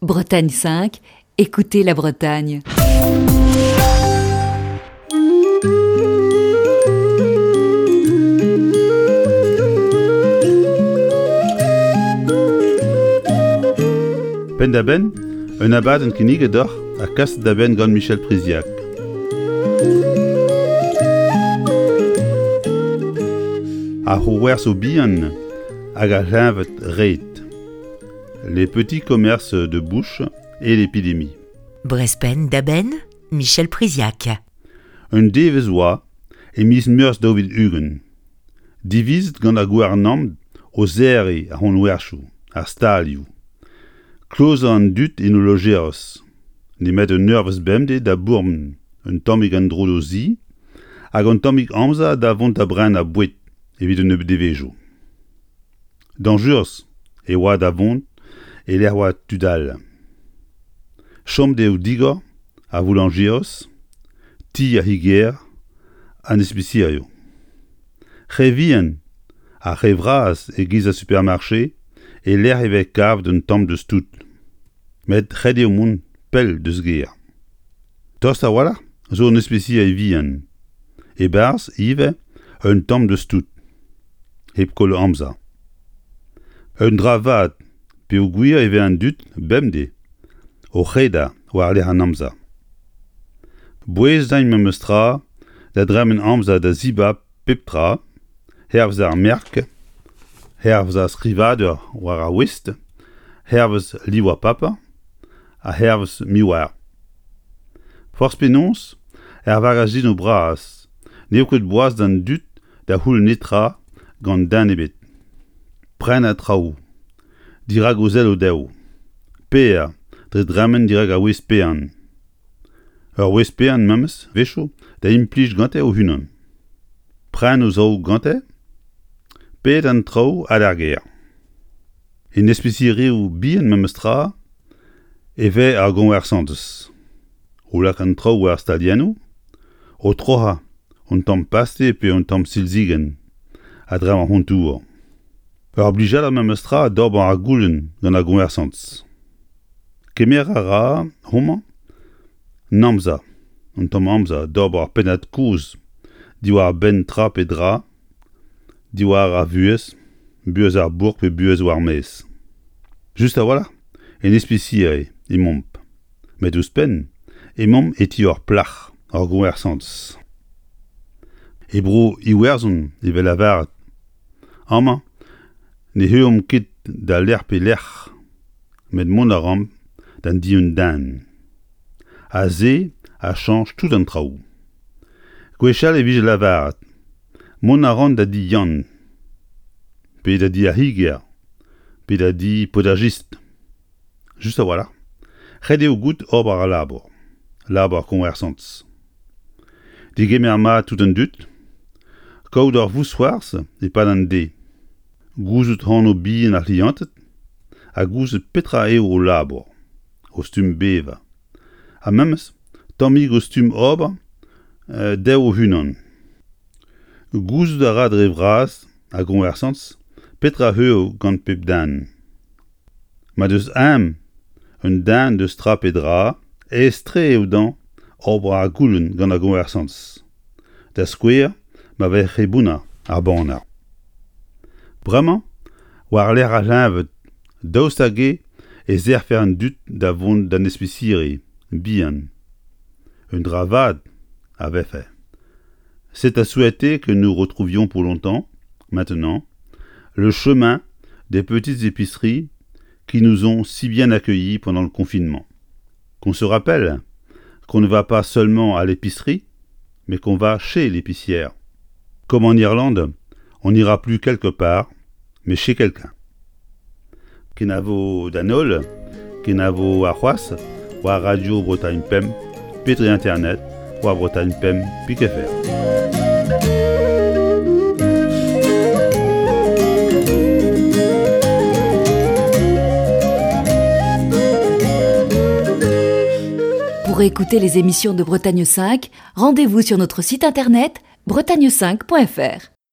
Bretagne 5, écoutez la Bretagne. Penn-da-benn, un abadenn kinniget deoc'h ha kaset da benn gant Michel Priziac. Ar c'houwerso bihan hag ar c'hleñved red. Les petits commerces de bouche et l'épidémie. Brespenn da benn, Michel Priziac. Un devezh oa e miz Meurzh 2020. Divizet gant ar gouarnamant o serriñ ar c'honwerchoù, ar stalioù. Klozañ an dud en o lojeroz. Nemet un eurvezh bemdez da bourmen un tammig en-dro d'o zi hag un tammig amzer da vont da brenañ boued evit un nebeud devezhioù. Dañjerus e oa da vont e-lec'h oa tud all. Chom eo digor ar voulañjerez, ti ar c'higer, an ispisialioù. Re vihan ha re vras e-giz ar supermarché e-lec'h e vez kavet un tamm deus tout. Met ret eo mont pell deus gêr. Tost a-walc'h zo un ispisial vihan. E-barzh ivez un tamm deus tout. Hep koll amzer. Un dra vat peogwir e vez an dud bemdez o c'hredañ war-lerc'h an amzer. Bouez din memes tra da dremen amzer da zibab pep tra, hervez ar merk, hervez ar skrivadur war ar voest, hervez liv ar paper ha hervez me oar. Forzh penaos, er vagazinoù bras n'eo ket boas d'an dud da c'houll netra gant den ebet. Prenañ traoù dirak o selloù dezho. Paeañ dre dremen dirak ar wezh paean. Ur wezh paean memes 'wechoù da implij gante o-unan. Pren o zaou gante, paeet an traoù ha d'ar gêr. En ispisialioù bihan memes tra e vez ar goñversantez. O lakaat an traoù war staliennoù, o troc'hañ un tamm paste pe un tamm silzigenn a-dreñv ar c'hontour. Ur blijadur memes tra d'ober ar goulenn gant ar goñversantez. Kemer a ra homañ an amzer, un tamm amzer d'ober ur pennad-kozh diwar-benn tra pe dra, diwar ar vuhez, buhez ar bourk pe buhez war maez. Just a-walc'h en ispisial emaomp. Met ouzhpenn emaomp e ti ur plac'h, ur goñversantez. E bro Iwerzhon e vez lavaret amañ ne heuliomp ket da lec'h pe lec'h, met mont a raomp d'an di un den. Ha se a chañch tout an traoù. Gwechall e vije lavaret mont a ran da di Yann, pe da di ar c'higer, pe da di potajist. Just a-walc'h, ret eo goût ober al labour, labour koñversantez. Degemer mat tout an dud, kaout ur vousc'hoarzh e-pad an deiz, gouzout anv bihan ar c'hlianted ha gouzout petra eo o labour, o stumm bevañ, ha memes tammig o stumm ober dezho o-unan. Gouzout a ra dre vras ar goñversantez petra eo gant pep den. Ma deus eñ un den deus tra pe dra, aes-tre eo dezhañ ober ar goulenn gant ar goñversantez. Da skouer ma vez re bounner ar baner. Bremañ, war-lerc'h ar c'hleñved, daoust hag-eo e serrfe an dud da vont d'an espisiri bihan? Un dra vat a vefe. C'est à souhaiter que nous retrouvions pour longtemps, maintenant, le chemin des petites épiceries qui nous ont si bien accueillis pendant le confinement. Qu'on se rappelle qu'on ne va pas seulement à l'épicerie, mais qu'on va chez l'épicière. Comme en Irlande, on n'ira plus quelque part, mais chez quelqu'un. Kenavo d'an holl, kenavo arc'hoazh war Radio Bretagne Pemp pe dre internet war Bretagne Pemp pik.fr. Pour écouter les émissions de Bretagne 5, rendez-vous sur notre site internet bretagne5.fr.